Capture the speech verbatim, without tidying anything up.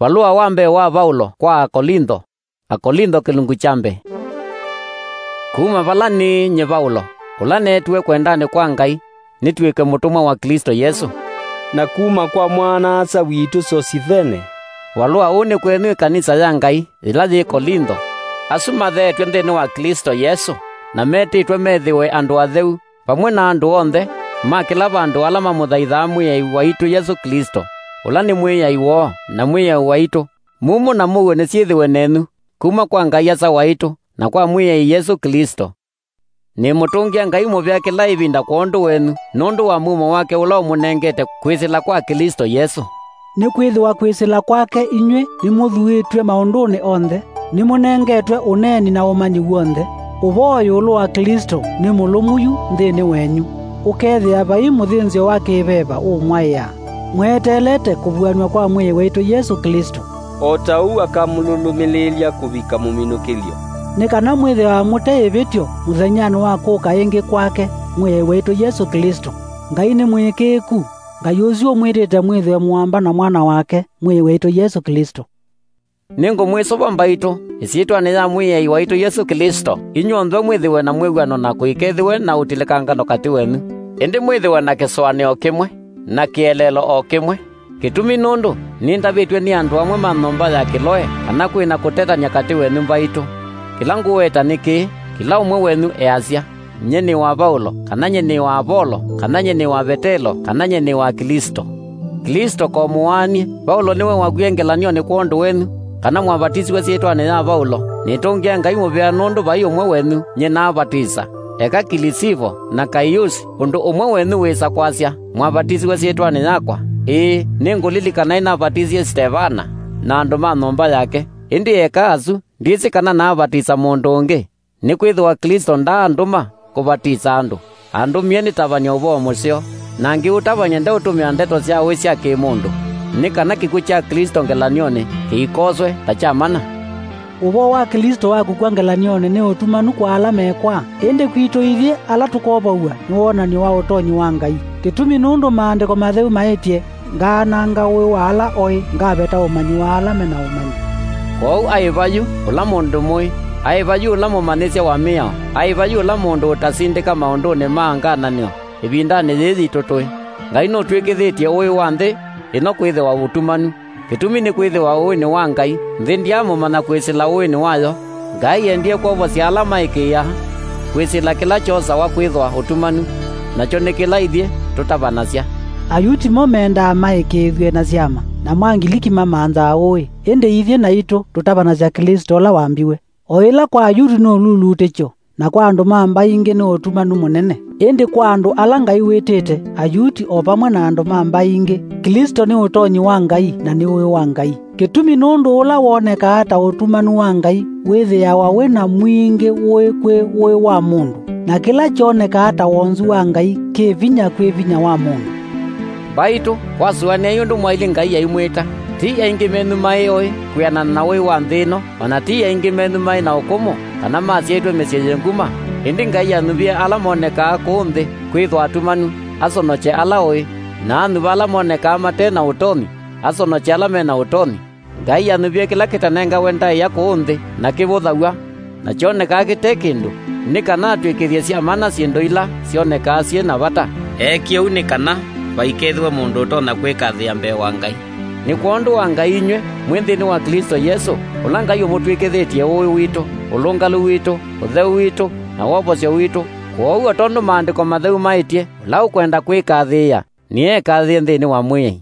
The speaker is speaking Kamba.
Valũa wa mbee wa Vaulo kwa Akolintho. Akolintho kĩlungu kya mbee. Kuma vala nĩ nyie Vaulo, ũla neetiwe kwendanĩ kwa Ngai, nĩtw'ĩke mũtũmwa wa Klĩsto Yesũ. Na kuma kwa mwana-a-asa witũ Sosithene. Valũa ũũ nĩ kwenyu ĩkanisa ya Ngai ĩla yĩ Kolintho, asu matheetw'e nthĩnĩ wa Klĩsto Yesũ, na metĩtwe methĩwe andũ atheu, vamwe na andũ onthe ma kĩla vandũ ala mamũthaithaa Mwĩai waitũ Yesũ Klĩsto, ũla nĩ Mwĩai woo na Mwĩai waitũ. Mumo na mũuo nĩsyĩthĩwe nenyu, kuma kwa Ngai Asa waitũ, na kwa Mwĩai Yesũ Klĩsto. Nĩmũtũngĩa Ngai mũvea kĩla ĩvinda kwondũ wenyu, nũndũ wa mumo wake ũla ũmũnengete kwĩsĩla kwa Klĩsto Yesũ. Nĩkwĩthĩwa kwĩsĩla kwake inyw'ĩ nĩmũthuĩtw'e maũndũnĩ onthe, nĩmũnengetwe ũneeni na ũmanyi w'onthe. Ũvoo ĩũlũ wa Klĩsto nĩ mũlũmu yu nthĩnĩ wenyu, ũkethĩa vai mũthĩnzĩo wa kĩveva ũũmwaĩa, mweteelete kũvuanw'a kwa Mwĩai waitũ Yesũ Klĩsto. O ta ũu akamũlũlũmĩlĩĩlya kũvika mũminũkĩlyo. Nĩ kana mwĩthĩawa mũte ĩvĩtyo mũthenyanĩ wa kũka ĩngĩ kwake Mwĩai waitũ Yesũ Klĩsto. Ngai nĩ mũĩkĩĩku, Ngai ũsu ũmwĩtĩte mwĩthĩwe mũamba na Mwana wake, Mwĩai waitũ Yesũ Klĩsto. Nĩngũmwĩsũva mbaitũ, ĩsyĩtwanĩ ya Mwĩai waitũ Yesũ Klĩsto, inyw'onthe mwĩthĩwe na mwĩw'ano na kũikethĩwe na ũtilĩkangano katĩ wenyu, ĩndĩ mwĩthĩwe na kĩsũanĩo kĩmwe, na kĩeleelo o kĩmwe. Kĩtumi nũndũ nĩndavĩtw'e nĩ andũ amwe ma nyũmba ya Kĩloe kana kwĩ na kũtetany'a katĩ wenyu mbaitũ. Kĩla ngũweta nĩ kĩĩ, kĩla ũmwe wenyu easya, "Nyie nĩ wa Vaulo," kana "Nyie nĩ wa Apolo," kana "Nyie nĩ wa Vetelo," kana "Nyie nĩ wa Klĩsto." Klĩsto ko mũaanie, Vaulo nĩwe wakwie ngelany'onĩ kwondũ wenyu, kana mwavatisiwe syĩtwanĩ ya Vaulo, nĩtũngĩa Ngai mũvea nũndũ vai ũmwe wenyu nyie naavatisa, eka Kilisivo na Kaiusi ũndũ ũmwe wenyu wĩsa kwasya, "Mwavatisiwe syĩtwanĩ yakwa?" Ĩĩ, nĩngũlilikana nĩnavatisie Stevana na andũ ma nyũmba yake, ĩndĩ eka asu, ndyĩsĩ kana naavatisa mũndũ ũngĩ. Nĩkwĩthĩwa Klĩsto ndaandũma kũvatisa andũ, andũmie nĩtavany'e ũvoo mũseo, na ngĩũtavany'a ndeũtũmĩa ndeto sya ũĩ sya kĩ-mũndũ, nĩ kana kĩkw'ũ kya Klĩsto ngelany'onĩ kĩikoswe ta kya mana. Ũvoo wa Klĩsto wa kũkw'a ngelany'onĩ nĩ ũtumanu kwa ala mekwaa, ĩndĩ kwitũ ithyĩ ala tũkovaw'a nĩ wonany'o wa ũtonyi wa Ngai. Kĩtumi nũndũ Maandĩko Matheu maĩtye, "Ngaananga ũĩ wa ala oĩ, ngaveta ũmanyi wa ala me na ũmanyi." Kwoou aĩva yu ũla mũndũ mũĩ, aĩva yu ũla mũmanyĩsya wa mĩao, aĩva yu ũla mũndũ ũtasindĩka maũndũnĩ ma ngananĩo ĩvindanĩ yĩĩ yitũ tũĩ. Ngai nũtw'ĩkĩthĩtye ũĩ wa nthĩ ĩno kwĩthĩwa ũtumanu. Kĩtumi nĩkwĩthĩwa ũĩ nĩ wa Ngai, nthĩ ndyaamũmanya kwĩsĩla ũĩnĩ wayo. Ngai endie kwovosya ala maĩkĩĩaa kwĩsĩla kĩla kyosawa kwĩthwa ũtumanu, nakyo nĩ kĩla ithyĩ tũtavanasya. Ayuti mo mendaa maĩkĩĩthw'e na syama, namo Angiliki mamanthaa ũĩ, ĩndĩ ithyĩ naitũ tũtavanasya Klĩsto ũla wambiwe. O ĩla kwa Ayuti nĩ ũlulutĩkyo, na kwa andũ ma mbaĩ ingĩ nĩ ũtumanu mũnene. Ĩndĩ kwa andũ ala Ngai wĩtĩte, Ayuti o vamwe na andũ ma mbaĩ ingĩ, Klĩsto nĩ ũtonyi wa Ngai na nĩ ũĩ wa Ngai. Kĩtumi nũndũ ũla wonekaa ta ũtumanu wa Ngai wĩthĩawa wĩ na mwingĩ ũĩ kwĩ ũĩ wa mũndũ, na kĩla kyonekaa ta wonzu wa Ngai kĩ vinya kwĩ vinya wa mũndũ. Mbaitũ, kwasũanĩai ũndũ mwaĩlye Ngai aimwĩta. Ti aingĩ menyu maĩ oĩ kwĩanana na ũĩ wa nthĩ ĩno, o na ti aingĩ menyu maĩ na ũkũmũ, kana masyaĩtwe mĩsyĩ yĩ nguma, ĩndĩ Ngai anuvie ala monekaa kũũ nthĩ kwĩthwa atumanu, asonokye ala oĩ, na anuva ala monekaa mate na ũtonyi, asonokye ala me na ũtonyi. Ngai anuvie kĩla kĩtanengawe ndaĩa kũũ nthĩ, na kĩvũthaw'a, na kyonekaa kĩte kĩndũ, nĩ kana atw'ĩkĩthye sya mana syĩndũ ila syonekaa syĩ na vata. Eekie ũu nĩ kana vaikethĩwe mũndũ ũtonya kwĩkathĩĩa mbee wa Ngai. Nĩ kwondũ wa Ngai inyw'ĩ mwĩ nthĩnĩ wa Klĩsto Yesũ, ũla Ngai ũmũtw'ĩkĩthĩtye ũĩ witũ, ũlũngalu witũ, ũtheu witũ, na wovosyo witũ. Kwoou o tondũ Maandĩko Matheu maĩtye, "Ũla ũkwenda kwĩkathĩĩa, nĩekathĩĩe nthĩnĩ wa Mwĩai."